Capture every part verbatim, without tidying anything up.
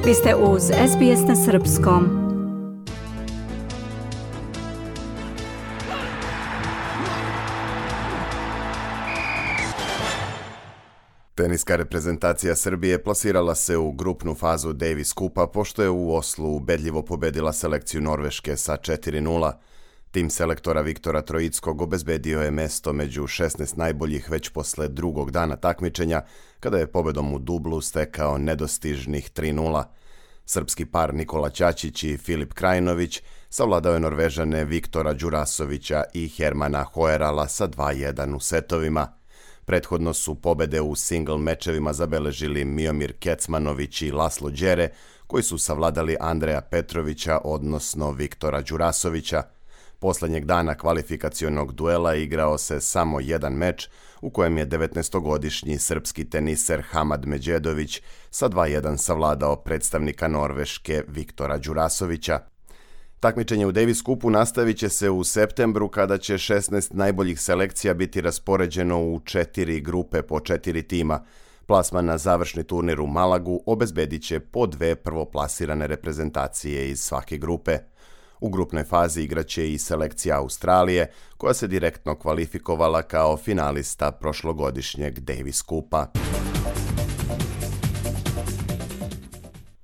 Vi ste uz es be es na srpskom. Teniska reprezentacija Srbije plasirala se u grupnu fazu Davis Kupa pošto je u Oslu ubedljivo pobedila selekciju Norveške sa četiri nula. Tim selektora Viktora Troickog obezbedio je mesto među šesnaest najboljih već posle drugog dana takmičenja, kada je pobedom u dublu stekao nedostižnih tri nula. Srpski par Nikola Ćaćić i Filip Krajinović savladao je Norvežane Viktora Đurasovića i Hermana Hoerala sa dva jedan u setovima. Prethodno su pobede u single mečevima zabeležili Miomir Kecmanović i Laslo Đere, koji su savladali Andreja Petrovića, odnosno Viktora Đurasovića. Poslednjeg dana kvalifikacionog duela igrao se samo jedan meč, u kojem je devetnaestogodišnji srpski teniser Hamad Međedović sa dva jedan savladao predstavnika Norveške Viktora Đurasovića. Takmičenje u Davis Kupu nastavit će se u septembru, kada će šesnaest najboljih selekcija biti raspoređeno u četiri grupe po četiri tima. Plasman na završni turnir u Malagu obezbedit će po dve prvoplasirane reprezentacije iz svake grupe. U grupnoj fazi igraće i selekcija Australije, koja se direktno kvalifikovala kao finalista prošlogodišnjeg Davis Kupa.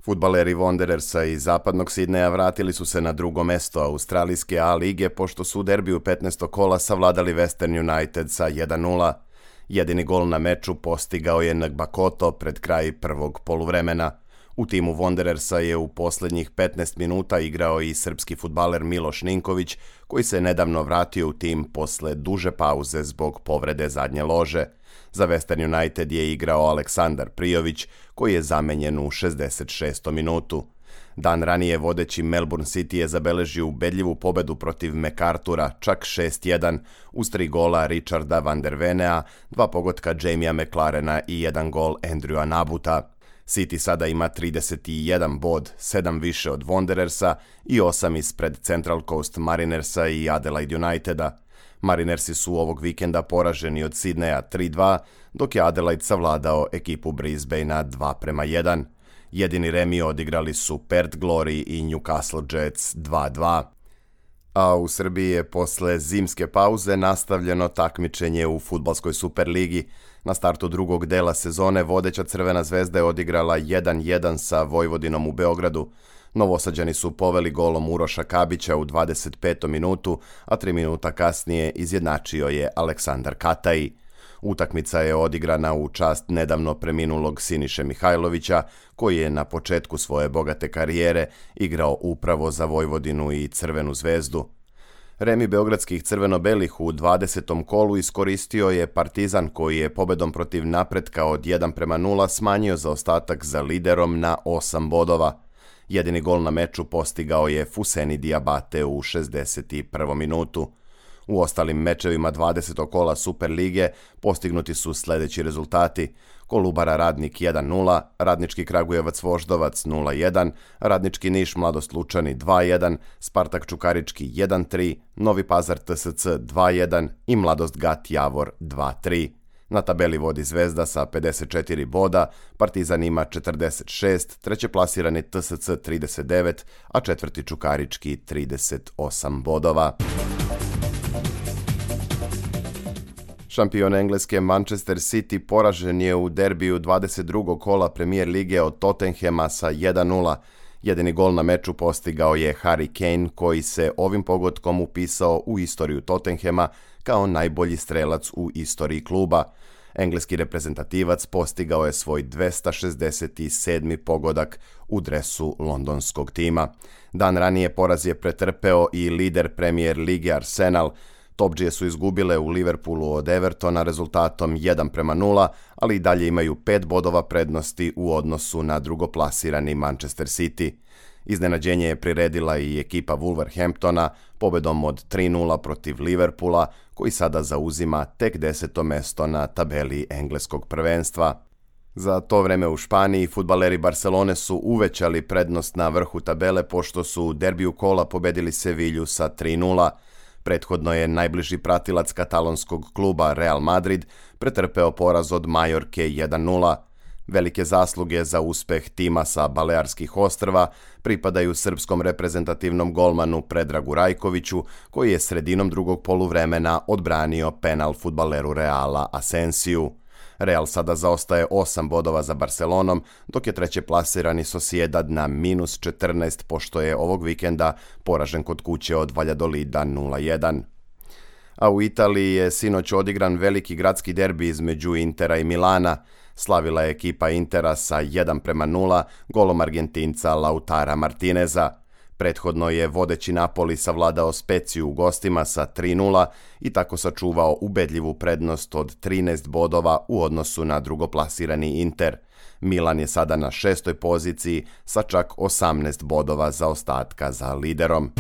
Fudbaleri Wanderersa iz zapadnog Sidneja vratili su se na drugo mesto australijske A lige pošto su u derbiju petnaestog kola savladali Western United sa jedan nula. Jedini gol na meču postigao je Ngbakoto pred kraj prvog poluvremena. U timu Wanderersa je u poslednjih petnaest minuta igrao i srpski fudbaler Miloš Ninković, koji se nedavno vratio u tim posle duže pauze zbog povrede zadnje lože. Za Western United je igrao Aleksandar Prijović, koji je zamenjen u šezdeset šestom minutu. Dan ranije vodeći Melbourne City je zabeležio ubedljivu pobedu protiv MacArthura, čak šest jedan, uz tri gola Richarda van der Venea, dva pogotka Jamija McLarena i jedan gol Andrewa Nabuta. City sada ima trideset jedan bod, sedam više od Wanderersa i osam ispred Central Coast Marinersa i Adelaide Uniteda. Marinersi su ovog vikenda poraženi od Sidneja tri dva, dok je Adelaide savladao ekipu Brisbanea dva prema jedan. Jedini remi odigrali su Perth Glory i Newcastle Jets dva dva. A u Srbiji je posle zimske pauze nastavljeno takmičenje u fudbalskoj Superligi. Na startu drugog dela sezone vodeća Crvena zvezda je odigrala jedan jedan sa Vojvodinom u Beogradu. Novosađani su poveli golom Uroša Kabića u dvadeset petom minutu, a tri minuta kasnije izjednačio je Aleksandar Kataji. Utakmica je odigrana u čast nedavno preminulog Siniše Mihajlovića, koji je na početku svoje bogate karijere igrao upravo za Vojvodinu i Crvenu zvezdu. Remi beogradskih crveno-belih u dvadesetom kolu iskoristio je Partizan, koji je pobedom protiv Napretka od jedan prema nula smanjio zaostatak za liderom na osam bodova. Jedini gol na meču postigao je Fuseni Diabate u šezdeset prvom minutu. U ostalim mečevima dvadesetog kola Superlige postignuti su sledeći rezultati: Kolubara Radnik jedan nula, Radnički Kragujevac Voždovac nula jedan, Radnički Niš Mladost Lučani dva jedan, Spartak Čukarički jedan tri, Novi Pazar T S C dva jedan i Mladost Gat Javor dva tri. Na tabeli vodi Zvezda sa pedeset četiri boda, Partizan ima četrdeset šest, treće plasirani T S C trideset devet, a četvrti Čukarički trideset osam bodova. Šampion Engleske Manchester City poražen je u derbiju dvadeset drugog kola Premier lige od Tottenhema sa jedan nula. Jedini gol na meču postigao je Harry Kane, koji se ovim pogodkom upisao u istoriju Tottenhema kao najbolji strelac u istoriji kluba. Engleski reprezentativac postigao je svoj dvesta šezdeset sedmi pogodak u dresu londonskog tima. Dan ranije poraz je pretrpeo i lider Premier lige Arsenal. Topdžije su izgubile u Liverpoolu od Evertona rezultatom jedan prema nula, ali i dalje imaju pet bodova prednosti u odnosu na drugoplasirani Manchester City. Iznenađenje je priredila i ekipa Wolverhamptona pobedom od tri nula protiv Liverpoola, koji sada zauzima tek deseto mesto na tabeli engleskog prvenstva. Za to vreme u Španiji fudbaleri Barcelone su uvećali prednost na vrhu tabele pošto su u derbiju kola pobedili Sevilju sa tri nula. Prethodno je najbliži pratilac katalonskog kluba Real Madrid pretrpeo poraz od Majorke jedan nula. Velike zasluge za uspeh tima sa Balearskih ostrva pripadaju srpskom reprezentativnom golmanu Predragu Rajkoviću, koji je sredinom drugog poluvremena odbranio penal fudbaleru Reala Asensiju. Real sada zaostaje osam bodova za Barcelonom, dok je treće plasirani Sociedad na minus četrnaest, pošto je ovog vikenda poražen kod kuće od Valladolida nula jedan. A u Italiji je sinoć odigran veliki gradski derbi između Intera i Milana. Slavila je ekipa Intera sa jedan prema nula golom Argentinca Lautara Martineza. Prethodno je vodeći Napoli savladao Speziju u gostima sa tri nula i tako sačuvao ubedljivu prednost od trinaest bodova u odnosu na drugoplasirani Inter. Milan je sada na šestoj poziciji sa čak osamnaest bodova zaostatka za liderom.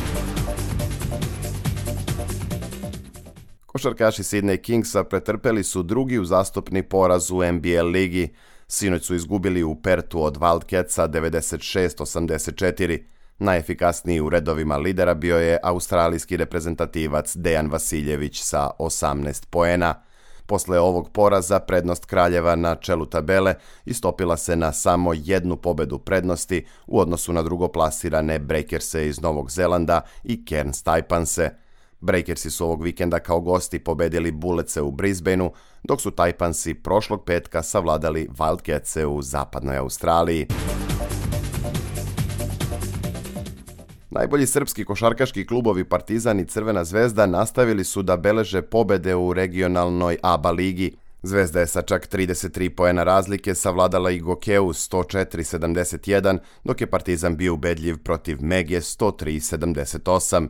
Košarkaši Sydney Kingsa pretrpeli su drugi uzastopni poraz u N B A ligi. Sinoć su izgubili u Pertu od Wildcatsa devedeset šest osamdeset četiri. Najefikasniji u redovima lidera bio je australijski reprezentativac Dejan Vasiljević sa osamnaest poena. Posle ovog poraza prednost Kraljeva na čelu tabele istopila se na samo jednu pobedu prednosti u odnosu na drugoplasirane Breakerse iz Novog Zelanda i Cairns Taipanse. Breakersi su ovog vikenda kao gosti pobedili Bulletse u Brisbaneu, dok su Taipansi prošlog petka savladali Wildcatse u zapadnoj Australiji. Najbolji srpski košarkaški klubovi Partizan i Crvena zvezda nastavili su da beleže pobede u regionalnoj A B A ligi. Zvezda je sa čak trideset tri poena razlike savladala i Gokeu sto četiri sedamdeset jedan, dok je Partizan bio ubedljiv protiv Mege sto tri sedamdeset osam.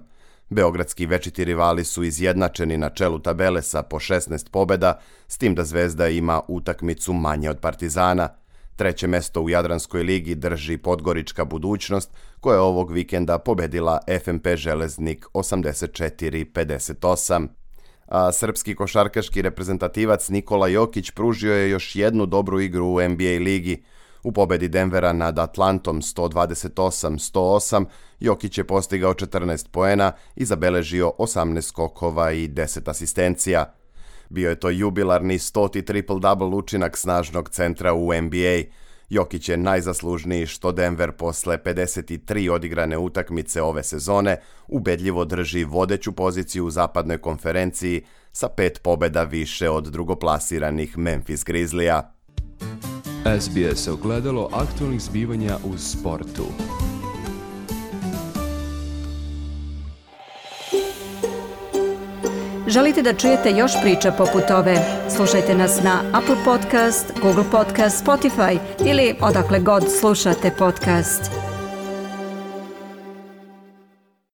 Beogradski večiti rivali su izjednačeni na čelu tabele sa po šesnaest pobeda, s tim da Zvezda ima utakmicu manje od Partizana. Treće mesto u Jadranskoj ligi drži Podgorička Budućnost, koja je ovog vikenda pobedila F M P Železnik osamdeset četiri pedeset osam. A srpski košarkaški reprezentativac Nikola Jokić pružio je još jednu dobru igru u N B A ligi. U pobedi Denvera nad Atlantom sto dvadeset osam sto osam Jokić je postigao četrnaest poena i zabeležio osamnaest skokova i deset asistencija. Bio je to jubilarni stoti triple-double učinak snažnog centra u N B A. Jokić je najzaslužniji što Denver posle pedeset tri odigrane utakmice ove sezone ubedljivo drži vodeću poziciju u zapadnoj konferenciji sa pet pobeda više od drugoplasiranih Memphis Grizzlija. S B S ogledalo aktualnih zbivanja u sportu. Želite da čujete još priča poput ove? Slušajte nas na Apple Podcast, Google Podcast, Spotify ili odakle god slušate podcast.